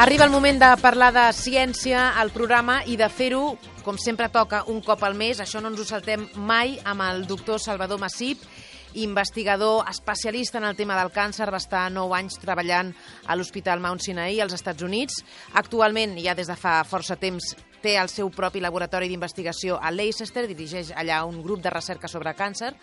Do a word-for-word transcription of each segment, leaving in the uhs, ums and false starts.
Arriba el moment de parlar de ciència al programa i de fer-ho, com sempre toca, un cop al mes. Això no ens ho saltem mai, amb el doctor Salvador Massip, investigador especialista en el tema del càncer. Va estar nou anys treballant a l'Hospital Mount Sinai als Estats Units. Actualment, ja des de fa força temps, té el seu propi laboratori d'investigació a Leicester, dirigeix allà un grup de recerca sobre càncer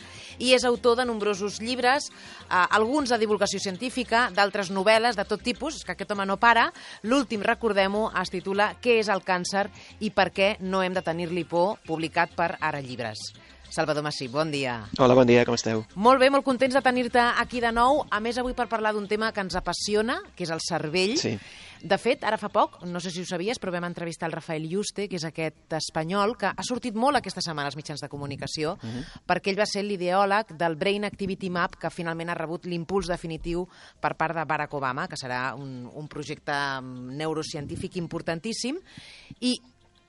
i és autor de nombrosos llibres, eh, alguns de divulgació científica, d'altres novel·les de tot tipus, és que aquest home no para. L'últim, recordem-ho, es titula Què és el càncer i per què no hem de tenir-li por, publicat per Ara Llibres. Salvador Massip, bon dia. Hola, bon dia, com esteu? Molt bé, molt contents de tenir-te aquí de nou. A més, avui per parlar d'un tema que ens apassiona, que és el cervell. Sí. De fet, ara fa poc, no sé si ho sabies, però vam entrevistar el Rafael Yuste, que és aquest espanyol que ha sortit molt aquesta setmana als mitjans de comunicació, uh -huh. perquè ell va ser l'ideòleg del Brain Activity Map, que finalment ha rebut l'impuls definitiu per part de Barack Obama, que serà un, un projecte neurocientífic importantíssim. I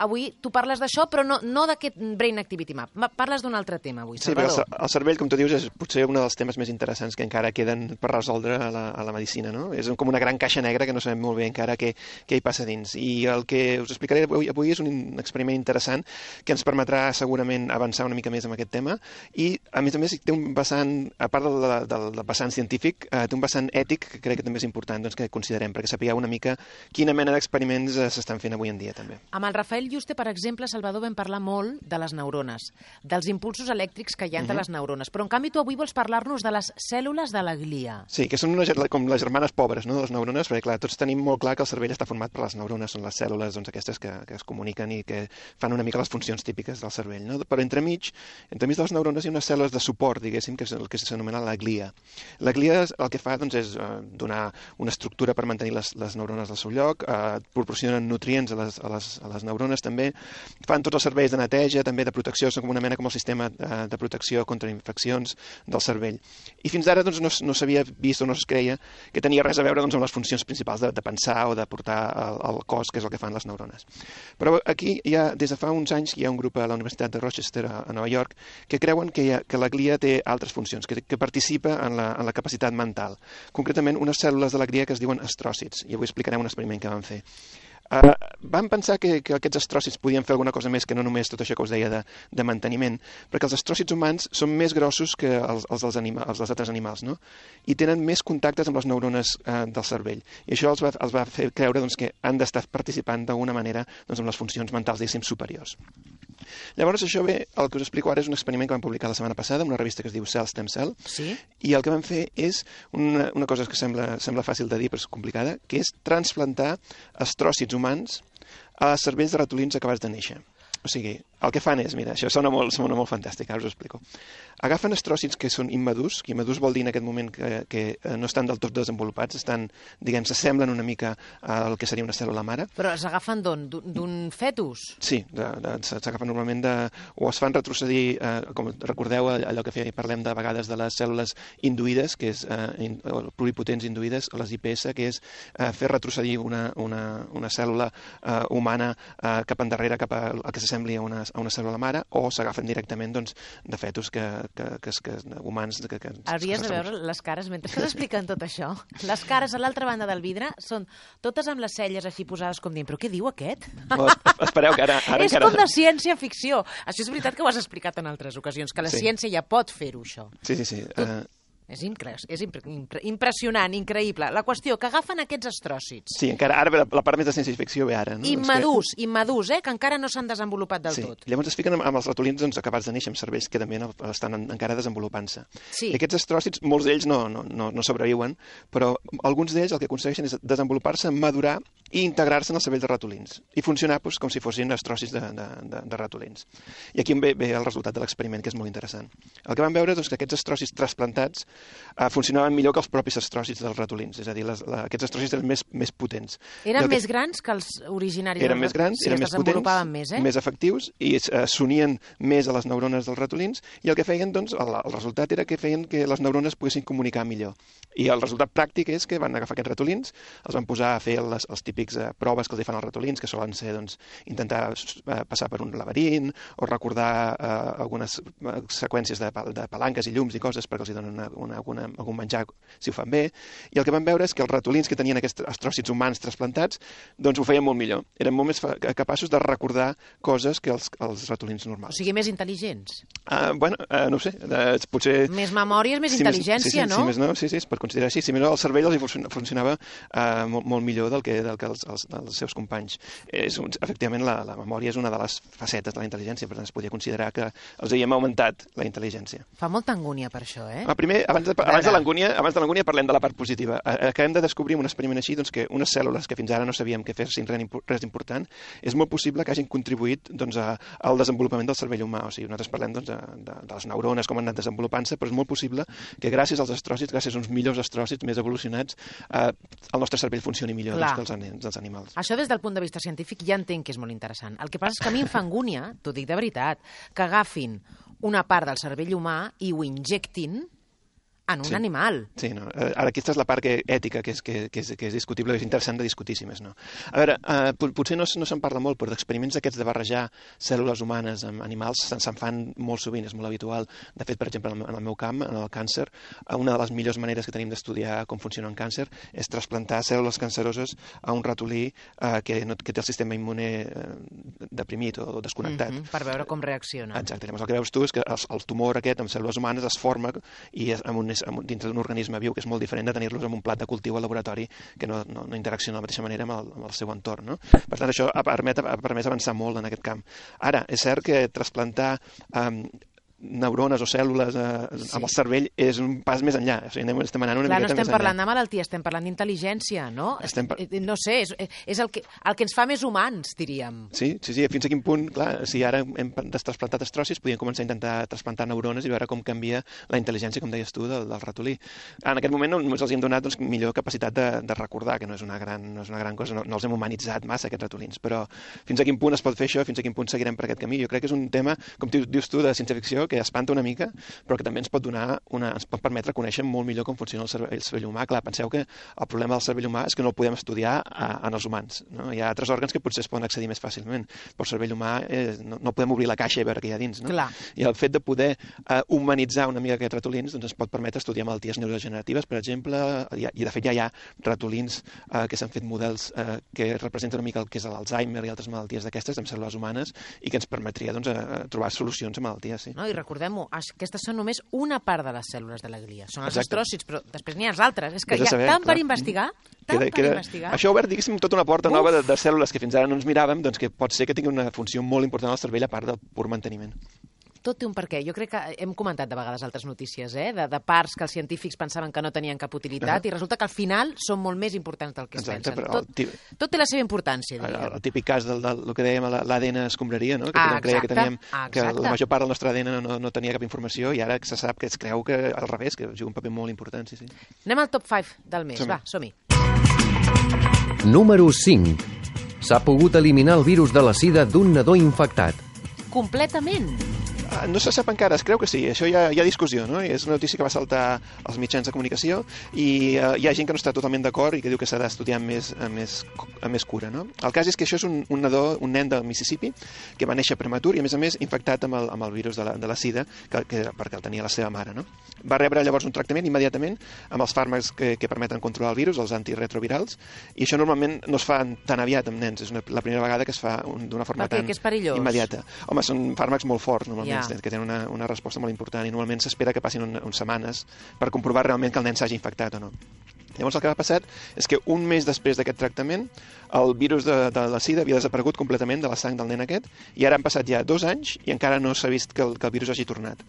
avui tu parles d'això, però no, no d'aquest Brain Activity Map. Parles d'un altre tema avui, Salvador. Sí, perquè el cervell, com tu dius, és potser un dels temes més interessants que encara queden per resoldre a la, a la medicina, no? És com una gran caixa negra que no sabem molt bé encara què, què hi passa dins. I el que us explicaré avui, avui és un experiment interessant que ens permetrà segurament avançar una mica més en aquest tema i, a més a més, té un vessant, a part del, del, del vessant científic, eh, té un vessant ètic que crec que també és important, doncs, que considerem, perquè sapigueu una mica quina mena d'experiments eh, s'estan fent avui en dia, també. Amb el Rafael Yuste, per exemple, Salvador, vam parlar molt de les neurones, dels impulsos elèctrics que hi ha entre uh -huh. les neurones, però en canvi tu avui vols parlar-nos de les cèl·lules de la glia. Sí, que són una, com les germanes pobres, no?, de les neurones, perquè clar, tots tenim molt clar que el cervell està format per les neurones, són les cèl·lules doncs, aquestes que, que es comuniquen i que fan una mica les funcions típiques del cervell, no? Però entremig, entremig de les neurones hi ha unes cèl·lules de suport, diguéssim, que és el que s'anomena la glia. La glia el que fa doncs, és uh, donar una estructura per mantenir les, les neurones al seu lloc, uh, proporcionen nutrients a les, a, les, a les neurones també, fan tots els serveis de neteja, també de protecció, són com una mena com el sistema de, de protecció contra infeccions del cervell. I fins ara doncs, no, no s'havia vist o no es creia que tenia res a veure doncs, amb les funcions principals de, de pensar o de portar al, al cos, que és el que fan les neurones. Però aquí hi ha, des de fa uns anys, hi ha un grup a la Universitat de Rochester, a, a Nova York, que creuen que, hi ha, que la glia té altres funcions, que, que participa en la, en la capacitat mental. Concretament, unes cèl·lules de la glia que es diuen astròcits, i avui explicarem un experiment que van fer. Uh, vam pensar que, que aquests astròcits podien fer alguna cosa més que no només tot això que us deia de, de manteniment, perquè els astròcits humans són més grossos que els, els, dels, anima, els dels altres animals, no? I tenen més contactes amb les neurones uh, del cervell. I això els va, els va fer creure doncs, que han d'estar participant d'alguna manera doncs, amb les funcions mentals, diguéssim, superiors. Llavors, això bé, el que us explico ara és un experiment que vam publicar la setmana passada en una revista que es diu Cell Stem Cell, sí? I el que vam fer és una, una cosa que sembla, sembla fàcil de dir però és complicada, que és transplantar astròcits humans a cervells de ratolins acabats de néixer. O sigui, el que fan és, mira, això sona molt, sona molt fantàstic, ara us ho explico. Agafen astròcits que són immadurs, que immadurs vol dir en aquest moment que, que no estan del tot desenvolupats, estan, diguem, s'assemblen una mica al que seria una cèl·lula mare. Però s'agafen d'on? D'un fetus? Sí, s'agafen normalment de... o es fan retrocedir, eh, com recordeu allò que feia, parlem de vegades de les cèl·lules induïdes, que és eh, in, pluripotents induïdes, o les I P S, que és eh, fer retrocedir una, una, una cèl·lula eh, humana eh, cap endarrere, cap a, a que s'assembli a una, a una cèl·lula mare, o s'agafen directament doncs, de fetus que, que, que, que, humans. Que, que, Hauries de veure les cares mentre estàs explicant tot això. Les cares a l'altra banda del vidre són totes amb les celles així posades com dient, però què diu aquest? No, espereu, que ara... ara és encara... com de ciència-ficció. Això és veritat que ho has explicat en altres ocasions, que la sí. ciència ja pot fer-ho, això. Sí, sí, sí. Tu... Uh... És, incre... és impre... Impre... impressionant, increïble. La qüestió, que agafen aquests astròcits. Sí, encara ara la, la part més de ciència-ficció ve ara. No? Immadurs, que... immadurs, eh? Que encara no s'han desenvolupat del sí. tot. Llavors es fiquen amb, amb els ratolins doncs, acabats de néixer, amb cervells que també no, estan en, encara desenvolupant-se. Sí. I aquests astròcits, molts d'ells no, no, no, no sobreviuen, però alguns d'ells el que aconsegueixen és desenvolupar-se, madurar i integrar-se en el cervell de ratolins i funcionar doncs, com si fossin astròcits de, de, de, de ratolins. I aquí ve, ve el resultat de l'experiment, que és molt interessant. El que vam veure és doncs, que aquests astròcits trasplantats eh, funcionaven millor que els propis astròcits dels ratolins, és a dir, les, la, aquests astròcits eren més, més potents. Eren que... més grans que els originaris? Eren més grans, sí, eren més potents, més, eh? més efectius i eh, s'unien més a les neurones dels ratolins i el que feien, doncs, el, el resultat era que feien que les neurones poguessin comunicar millor. I el resultat pràctic és que van agafar aquests ratolins, els van posar a fer les, els típics típics eh, proves que els fan els ratolins, que solen ser doncs, intentar eh, passar per un laberint o recordar eh, algunes eh, seqüències de, de palanques i llums i coses perquè els hi donen una, una, una, algun menjar si ho fan bé. I el que vam veure és que els ratolins que tenien aquests astròcits humans trasplantats doncs ho feien molt millor. Eren molt més capaços de recordar coses que els, els ratolins normals. O sigui, més intel·ligents. Uh, bueno, uh, no ho sé, uh, potser... Més memòria és més si intel·ligència, més, sí, sí, no? Sí, més no, sí, sí, es pot considerar així. Si més no, el cervell els funcionava uh, molt, molt millor del que, del que els, els, els seus companys. És un, efectivament, la, la memòria és una de les facetes de la intel·ligència, per tant, es podria considerar que els havíem augmentat la intel·ligència. Fa molta angúnia per això, eh? Ah, primer, abans de, abans de l'angúnia abans de l'angúnia parlem de la part positiva. Acabem de descobrir en un experiment així doncs, que unes cèl·lules que fins ara no sabíem que fessin res important, és molt possible que hagin contribuït doncs, a, al desenvolupament del cervell humà. O sigui, nosaltres parlem doncs, de, de, de les neurones, com han anat desenvolupant-se, però és molt possible que gràcies als astròcits, gràcies a uns millors astròcits més evolucionats, eh, el nostre cervell funcioni millor doncs, que els, dels animals. Això des del punt de vista científic ja entenc que és molt interessant. El que passa és que a mi em fa angúnia, t'ho dic de veritat, que agafin una part del cervell humà i ho injectin en un sí. animal. Sí, no. Ara aquesta és la part que, ètica que és, que, que, és, que és discutible, que és interessant de discutir, si més no. A veure, eh, potser no, no se'n parla molt, però d'experiments aquests de barrejar cèl·lules humanes amb animals se'n fan molt sovint, és molt habitual. De fet, per exemple, en el meu camp, en el càncer, una de les millors maneres que tenim d'estudiar com funciona un càncer és trasplantar cèl·lules canceroses a un ratolí eh, que, no, que té el sistema immune eh, deprimit o desconnectat. Mm-hmm, per veure com reacciona. Exacte. Llavors el que veus tu és que el, el tumor aquest amb cèl·lules humanes es forma i és, amb un dintre d'un organisme viu, que és molt diferent de tenir-los en un plat de cultiu al laboratori que no, no, no interacciona de la mateixa manera amb el, amb el seu entorn. No? Per tant, això ha, permet, ha permès avançar molt en aquest camp. Ara, és cert que trasplantar um, neurones o cèl·lules eh, sí. amb el cervell és un pas més enllà. O sigui, anem, estem anant una Clar, miqueta no estem més parlant enllà. de malaltia, estem parlant d'intel·ligència, no? Estem par... No sé, és, és el, que, el que ens fa més humans, diríem. Sí, sí, sí, fins a quin punt, clar, si ara hem trasplantat astròcits, podríem començar a intentar trasplantar neurones i veure com canvia la intel·ligència, com deies tu, del, del ratolí. En aquest moment només els hem donat doncs, millor capacitat de, de recordar, que no és una gran, no és una gran cosa, no, no els hem humanitzat massa, aquests ratolins, però fins a quin punt es pot fer això, fins a quin punt seguirem per aquest camí. Jo crec que és un tema, com dius tu, de ciència-ficció, que espanta una mica, però que també ens pot donar una, ens pot permetre conèixer molt millor com funciona el cervell, el cervell humà. Clar, penseu que el problema del cervell humà és que no el podem estudiar a, en els humans. No? Hi ha altres òrgans que potser es poden accedir més fàcilment, però el cervell humà eh, no, no podem obrir la caixa i veure què hi ha dins. No? Clar. I el fet de poder eh, humanitzar una mica aquests ratolins doncs ens pot permetre estudiar malalties neurodegeneratives, per exemple, i, i de fet ja hi ha ratolins eh, que s'han fet models eh, que representen una mica el que és l'Alzheimer i altres malalties d'aquestes amb cèl·lules humanes i que ens permetria doncs, a, a trobar solucions a malalties. Sí. No, i recordem-ho, aquestes són només una part de les cèl·lules de la glia. Són els Exacte. astròcits, però després n'hi ha els altres. És que Has de hi ha saber, tant clar. per investigar, tant Queda, per queda... investigar. Això ha obert, diguéssim, tota una porta Uf. nova de, de cèl·lules que fins ara no ens miràvem, doncs que pot ser que tingui una funció molt important al cervell a part del pur manteniment. Tot té un perquè. Jo crec que hem comentat de vegades altres notícies, eh? de, de parts que els científics pensaven que no tenien cap utilitat, uh -huh. i resulta que al final són molt més importants del que es Exacte, pensen. però Tot, el, tot té la seva importància, el, diríem. el típic cas del, del, del que dèiem, l'A D N escombraria, no? que Ah, tothom creia que, teníem, ah, que la major part del nostre A D N no, no tenia cap informació i ara se sap que es creu que al revés, que juga un paper molt important. Sí, sí. Anem al top cinc del mes. Som-hi. Va, som-hi. Número cinc. S'ha pogut eliminar el virus de la sida d'un nadó infectat. Completament. No se sap encara, es creu que sí, això hi ha, hi ha discussió, no? És una notícia que va saltar als mitjans de comunicació i uh, hi ha gent que no està totalment d'acord i que diu que s'ha d'estudiar amb més, amb, més, amb més cura, no? El cas és que això és un, un nadó, un nen del Mississippi que va néixer prematur i a més a més infectat amb el, amb el virus de la, de la sida que, que, perquè el tenia la seva mare, no? Va rebre llavors un tractament immediatament amb els fàrmacs que, que permeten controlar el virus, els antiretrovirals, i això normalment no es fa tan aviat amb nens, és una, la primera vegada que es fa d'una forma Per què? tan Que és perillós? immediata. Home, són fàrmacs molt forts normalment, Ja. que tenen una, una resposta molt important i normalment s'espera que passin un, unes setmanes per comprovar realment que el nen s'hagi infectat o no. Llavors el que ha passat és que un mes després d'aquest tractament el virus de, de la sida havia desaparegut completament de la sang del nen aquest i ara han passat ja dos anys i encara no s'ha vist que el, que el virus hagi tornat.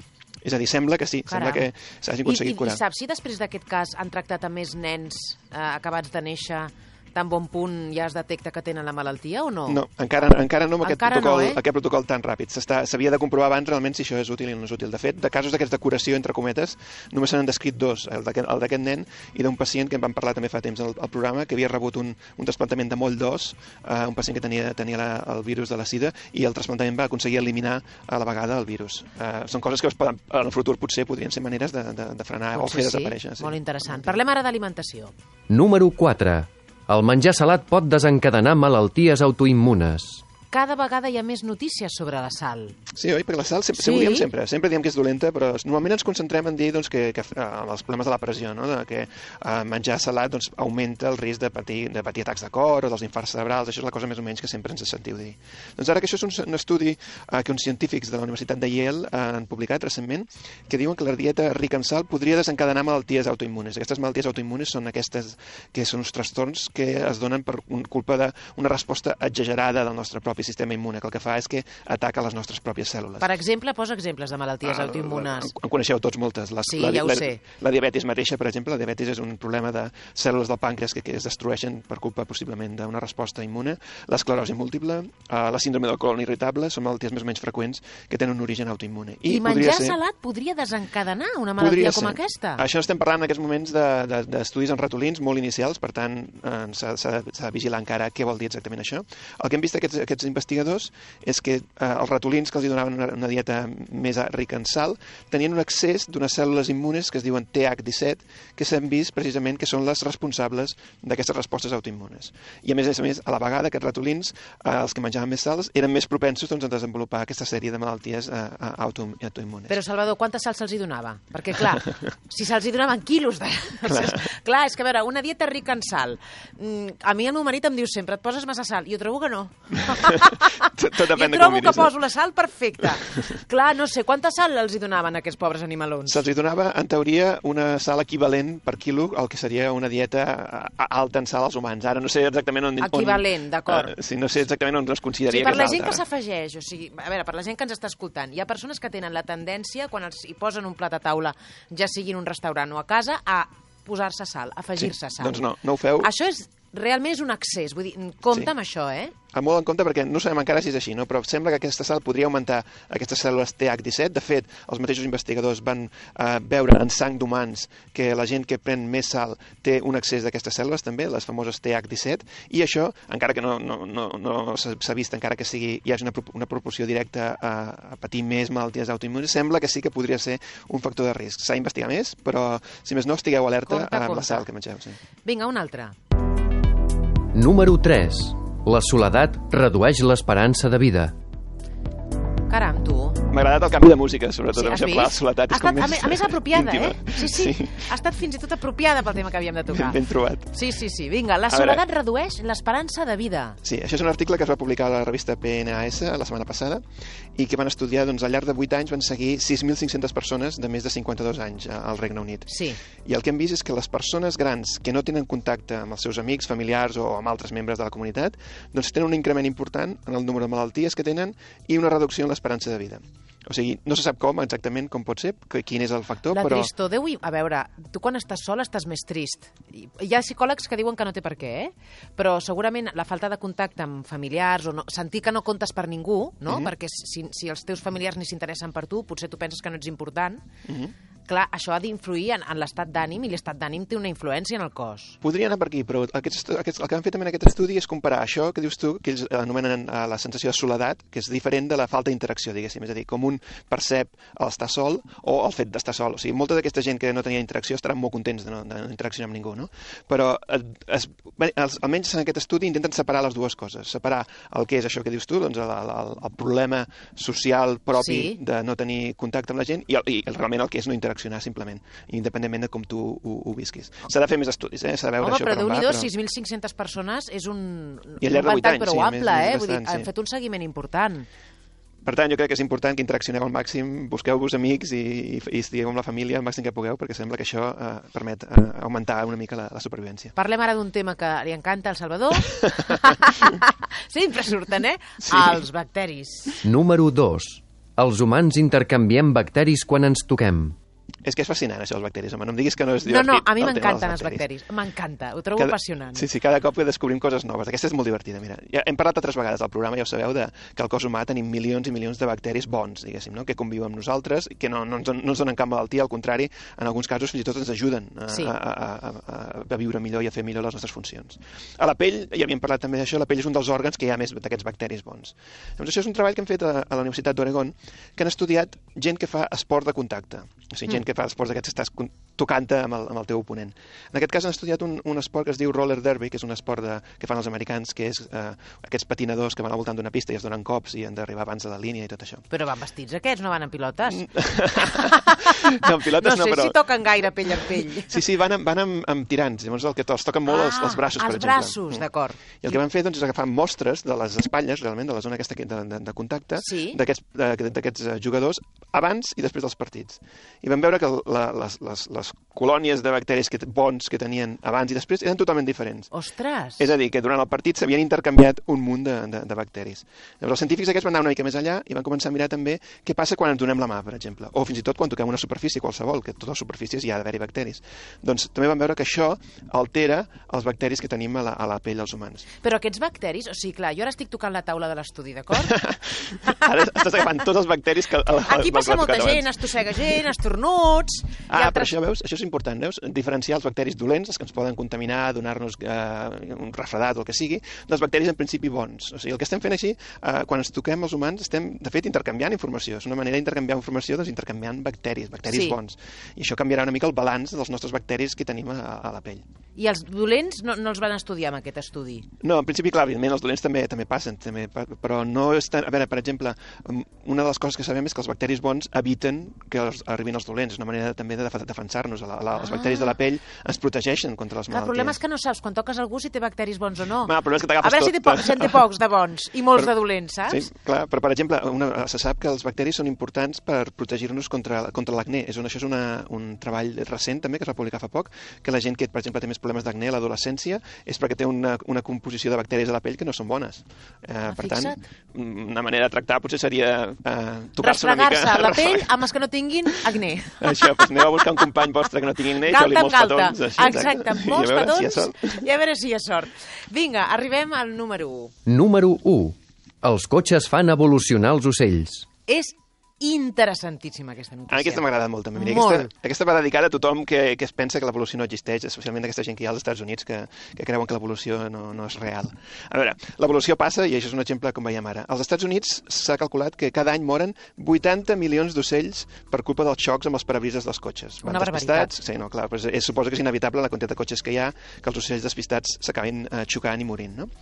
És a dir, sembla que sí, Caram. sembla que s'hagi aconseguit I, i, curar. I saps si després d'aquest cas han tractat a més nens eh, acabats de néixer tan bon punt ja es detecta que tenen la malaltia o no? No, encara, encara no amb aquest Encara protocol, no, eh? aquest protocol tan ràpid. S'havia de comprovar abans realment si això és útil o no és útil. De fet, de casos d'aquests de curació, entre cometes, només se n'han descrit dos, el d'aquest nen i d'un pacient que en vam parlar també fa temps al, al programa, que havia rebut un, un trasplantament de moll d'os, uh, un pacient que tenia, tenia la, el virus de la sida, i el trasplantament va aconseguir eliminar a la vegada el virus. Uh, són coses que es poden, en el futur potser podrien ser maneres de, de, de frenar Potser o fer sí. desaparèixer. Sí. Molt interessant. Parlem ara d'alimentació. Número quatre. El menjar salat pot desencadenar malalties autoimmunes. Cada vegada hi ha més notícies sobre la sal. Sí, oi? Perquè la sal sempre, Sí. ho diem sempre, sempre diem que és dolenta, però normalment ens concentrem en dir doncs, que, que eh, els problemes de la pressió, no? De que eh, menjar salat doncs, augmenta el risc de patir, de patir atacs de cor o dels infarts cerebrals, això és la cosa més o menys que sempre ens sentiu dir. Doncs ara que això és un, un estudi eh, que uns científics de la Universitat de Yale eh, han publicat recentment, que diuen que la dieta rica en sal podria desencadenar malalties autoimmunes. Aquestes malalties autoimmunes són aquestes que són uns trastorns que es donen per un, culpa d'una resposta exagerada del nostre propi sistema immune, que el que fa és que ataca les nostres pròpies cèl·lules. Per exemple, posa exemples de malalties Ah, autoimmunes. En coneixeu tots moltes. Les, Sí, la, ja ho la, sé. La diabetis mateixa, per exemple, la diabetis és un problema de cèl·lules del pàncreas que, que es destrueixen per culpa possiblement d'una resposta immune. L'esclerosi múltiple, eh, la síndrome del colon irritable, són malalties més o menys freqüents que tenen un origen autoimmune. I, I podria menjar ser, salat podria desencadenar una malaltia com ser. aquesta? Això estem parlant en aquests moments d'estudis de, de, en ratolins molt inicials, per tant eh, s'ha de vigilar encara què vol dir exactament això. El que hem vist aquests, aquests investigadors és que eh, els ratolins que els donaven una, una dieta més rica en sal tenien un excés d'unes cèl·lules immunes que es diuen T H disset, que s'han vist precisament que són les responsables d'aquestes respostes autoimmunes. I a més a més, a la vegada, aquests ratolins, eh, els que menjaven més sals, eren més propensos doncs, a desenvolupar aquesta sèrie de malalties eh, auto, autoimmunes. Però, Salvador, quanta sal se'ls hi donava? Perquè, clar, si se'ls hi donaven quilos de... Clar. clar, és que, a veure, una dieta rica en sal. A mi el meu marit em diu sempre, et poses massa sal. Jo trobo que no. tot, tot depèn jo de trobo com que poso la sal perfecta. Clar, no sé, quanta sal els hi donaven a aquests pobres animalons? Se'ls hi donava, en teoria, una sal equivalent per quilo al que seria una dieta alta en sal als humans. Ara no sé exactament on... Equivalent, d'acord. Uh, sí, no sé exactament on es consideraria sí, per que és la gent alta. que s'afegeix, o sigui, a veure, per la gent que ens està escoltant, hi ha persones que tenen la tendència, quan els hi posen un plat a taula, ja sigui en un restaurant o a casa, a posar-se sal, afegir-se sí, sal. Doncs no, no ho feu. Això és, realment és un excés, vull dir, compte Sí. amb això, eh? A molt en compte perquè no sabem encara si és així, no? Però sembla que aquesta sal podria augmentar aquestes cèl·lules T H disset. De fet, els mateixos investigadors van eh, veure en sang d'humans que la gent que pren més sal té un excés d'aquestes cèl·lules també, les famoses T H disset, i això, encara que no, no, no, no s'ha vist encara que sigui, hi hagi una, una proporció directa a, a patir més malalties autoimmunes, sembla que sí que podria ser un factor de risc. S'ha d'investigar més, però si més no, estigueu alerta Compte, amb compte. la sal que mengeu. Sí. Vinga, un altre. Número tres. La soledat redueix l'esperança de vida. Caram, tu. M'ha agradat el canvi de música, sobretot, Sí, amb has això, vist? clar, la soledat Ha és com estat, a, més més, a més apropiada, íntima. eh? Sí, sí, sí. Ha estat fins i tot apropiada pel tema que havíem de tocar. Ben, ben trobat. Sí, sí, sí. Vinga, la A veure. soledat redueix l'esperança de vida. Sí, això és un article que es va publicar a la revista P N A S la setmana passada i que van estudiar, doncs, al llarg de vuit anys van seguir sis mil cinc-centes persones de més de cinquanta-dos anys al Regne Unit. Sí. I el que hem vist és que les persones grans que no tenen contacte amb els seus amics, familiars o amb altres membres de la comunitat, doncs tenen un increment important en el número de malalties que tenen i una reducció en l'esperança de vida. O sigui, no se sap com exactament com pot ser, que, quin és el factor, La però... tristor deu... A veure, tu quan estàs sol estàs més trist. Hi ha psicòlegs que diuen que no té per què, eh? Però segurament la falta de contacte amb familiars o no, sentir que no comptes per ningú, no? Mhm. Perquè si, si els teus familiars ni s'interessen per tu, potser tu penses que no ets important. Mhm. Clar, això ha d'influir en, en l'estat d'ànim i l'estat d'ànim té una influència en el cos. Podria anar per aquí, però aquests, aquests, el que han fet també en aquest estudi és comparar això que dius tu, que ells anomenen eh, la sensació de soledat, que és diferent de la falta d'interacció, diguéssim, és a dir, com un percep l'estar sol o el fet d'estar sol. O sigui, molta d'aquesta gent que no tenia interacció estaran molt contents de no, de no interaccionar amb ningú, no? Però eh, es, bé, els, almenys en aquest estudi intenten separar les dues coses, separar el que és això que dius tu, doncs el, el, el problema social propi Sí. de no tenir contacte amb la gent i, el, i realment el que és no interaccionar simplement, independentment de com tu ho, ho visquis. S'ha de fer més estudis, eh? S'ha de veure Home, això però per on va, Déu-n'hi-do, però... sis mil cinc-centes persones és un, I al un llarg de vuit ventall anys, prou sí, ample, més- eh? més Vull dir, bastant, han sí. fet un seguiment important. Per tant, jo crec que és important que interaccioneu al màxim, busqueu-vos amics i, i, i estigueu amb la família al màxim que pugueu, perquè sembla que això eh, permet eh, augmentar una mica la, la supervivència. Parlem ara d'un tema que li encanta al Salvador. Sempre surten, eh? Sí. Els bacteris. Número dos. Els humans intercanviem bacteris quan ens toquem. És que és fascinant, això, els bacteris. Home, no em diguis que no és No, divertit. no, a mi el tema m'encanten dels els bacteris. M'encanta, ho trobo Cada- apassionant. Sí, sí, cada cop que descobrim coses noves. Aquesta és molt divertida, mira. Ja hem parlat altres vegades al programa, ja ho sabeu, de que al cos humà tenim milions i milions de bacteris bons, diguéssim, no? Que conviuen amb nosaltres, que no, no, ens, don- no ens donen cap malaltia, al contrari, en alguns casos fins i tot ens ajuden a, Sí. a, a, a, a viure millor i a fer millor les nostres funcions. A la pell, ja havíem parlat també d'això, la pell és un dels òrgans que hi ha més d'aquests bacteris bons. Llavors, això és un treball que hem fet a, a la Universitat d'Oregon, que han estudiat gent que fa esport de contacte, o sigui, gent que fa esports aquests que estàs tocant-te amb, el, amb el teu oponent. En aquest cas han estudiat un, un esport que es diu roller derby, que és un esport de, que fan els americans, que és eh, aquests patinadors que van al voltant d'una pista i es donen cops i han d'arribar abans de la línia i tot això. Però van vestits aquests, no van en pilotes? No, en pilotes no, no sé però... si toquen gaire pell en pell. Sí, sí, van amb, van amb, amb tirants, llavors el que els toquen molt ah, els, els braços, per els exemple. Els braços, d'acord. I el que van fer doncs, és agafar mostres de les espatlles, realment, de la zona aquesta de, de, de contacte, sí. d'aquests jugadors abans i després dels partits. I van veure que la, les, les, les colònies de bacteris que, bons que tenien abans i després eren totalment diferents. Ostres! És a dir, que durant el partit s'havien intercanviat un munt de, de, de bacteris. Llavors els científics aquests van anar una mica més allà i van començar a mirar també què passa quan ens donem la mà, per exemple, o fins i tot quan toquem una superfície qualsevol, que a totes les superfícies hi ha d'haver-hi bacteris. Doncs també van veure que això altera els bacteris que tenim a la, a la pell dels humans. Però aquests bacteris, o sigui, clar, jo ara estic tocant la taula de l'estudi, d'acord? Ara estàs agafant tots els bacteris que... El, Aquí passa molta gent, estossega gent, estornuts... Ah, altres... però això, veus, això és important, veus? Diferenciar els bacteris dolents, els que ens poden contaminar, donar-nos eh, un refredat o el que sigui, dels bacteris en principi bons. O sigui, el que estem fent així, eh, quan ens toquem els humans, estem, de fet, intercanviant informació. És una manera d'intercanviar informació, doncs, intercanviant bacteris, bacteris sí. bons. I això canviarà una mica el balanç dels nostres bacteris que tenim a, a la pell. I els dolents no, no els van estudiar amb aquest estudi? No, en principi, clar, evidentment, els dolents també també passen, també, però no és tan... A veure, per exemple, una de les coses que sabem és que els bacteris bons eviten que els, arribin els dolents. És una manera també de defensar-nos. La, la, ah. Els bacteris de la pell ens protegeixen contra les malalties. El problema és que no saps quan toques algú si té bacteris bons o no. Ma, el problema és que t'agafes tot. A veure si té pocs, si en té pocs de bons i molts però, de dolents, saps? Sí, clar, però per exemple, una, se sap que els bacteris són importants per protegir-nos contra, contra l'acné. És un, això és una, un treball recent també que es va publicar fa poc, que la gent que, per exemple, té més problemes d'acné a l'adolescència és perquè té una, una composició de bacteris a la pell que no són bones. Eh, ah, per fixa't. tant, una manera de tractar potser seria eh, tocar-se una mica... Restregar-se la pell amb els que no tinguin acné. Això, doncs aneu a buscar un company vostre que no tingui acné i feu-li molts galta. petons. Així, exacte, amb molts I petons si i a veure si hi ha sort. Vinga, arribem al número u. Número u. Els cotxes fan evolucionar els ocells. És interessantíssima aquesta notícia. Ah, aquesta m'ha agradat molt també. Mira, molt. Aquesta, aquesta va dedicada a tothom que, que es pensa que l'evolució no existeix, especialment aquesta gent que hi ha als Estats Units que, que creuen que l'evolució no, no és real. A veure, l'evolució passa, i això és un exemple com veiem ara. Als Estats Units s'ha calculat que cada any moren vuitanta milions d'ocells per culpa dels xocs amb els parabrises dels cotxes. Una barbaritat. Sí, no, clar, però és, suposa que és inevitable la quantitat de cotxes que hi ha, que els ocells despistats s'acabin eh, xocant i morint, no?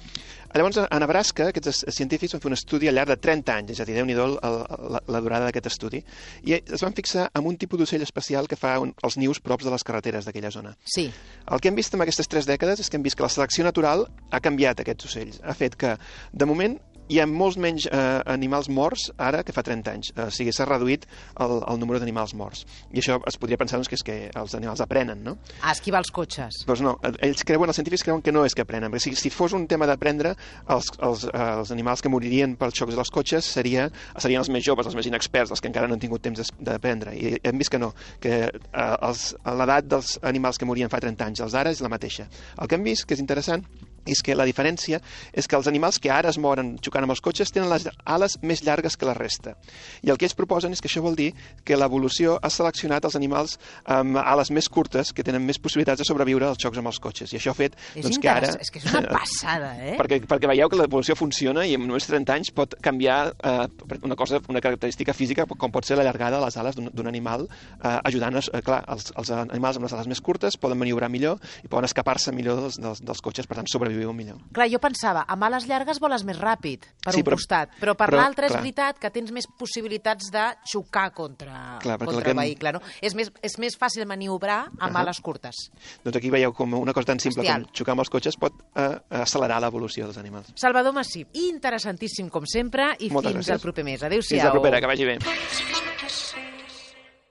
Llavors, a Nebraska, aquests científics van fer un estudi al llarg de trenta anys, és a dir, Déu-n'hi-do la, la durada d'aquest estudi, i es van fixar en un tipus d'ocell especial que fa un, els nius props de les carreteres d'aquella zona. Sí. El que hem vist en aquestes tres dècades és que hem vist que la selecció natural ha canviat aquests ocells. Ha fet que, de moment, hi ha molts menys eh, animals morts ara que fa trenta anys. Eh, o sigui, s'ha reduït el, el número d'animals morts. I això es podria pensar doncs, que és que els animals aprenen, no? A esquivar els cotxes. Doncs no, ells creuen, els científics creuen que no és que aprenen. Perquè si, si fos un tema d'aprendre, els, els, els animals que moririen pels xocs dels cotxes seria, serien els més joves, els més inexperts, els que encara no han tingut temps d'aprendre. I hem vist que no, que eh, els, l'edat dels animals que morien fa trenta anys, els d'ara és la mateixa. El que hem vist, que és interessant, és que la diferència és que els animals que ara es moren xocant amb els cotxes tenen les ales més llargues que la resta. I el que ells proposen és que això vol dir que l'evolució ha seleccionat els animals amb ales més curtes que tenen més possibilitats de sobreviure als xocs amb els cotxes. I això ha fet és doncs, que ara... És que és una passada, eh? Perquè, perquè veieu que l'evolució funciona i en només trenta anys pot canviar eh, una cosa, una característica física com pot ser la llargada de les ales d'un animal eh, ajudant, eh, clar, els, els animals amb les ales més curtes poden maniobrar millor i poden escapar-se millor dels, dels, dels cotxes, per tant sobreviure millor. Clar, jo pensava, amb ales llargues voles més ràpid, per sí, un però, costat, però per però, l'altre és clar. veritat que tens més possibilitats de xocar contra, clar, contra que... el vehicle, no? És més, és més fàcil maniobrar amb uh -huh. ales curtes. Doncs aquí veieu com una cosa tan simple Hostial. com xocar amb els cotxes pot eh, accelerar l'evolució dels animals. Salvador Massip, interessantíssim com sempre i Moltes fins gràcies. al proper mes. Adéu-siau. Fins la propera, que vagi bé.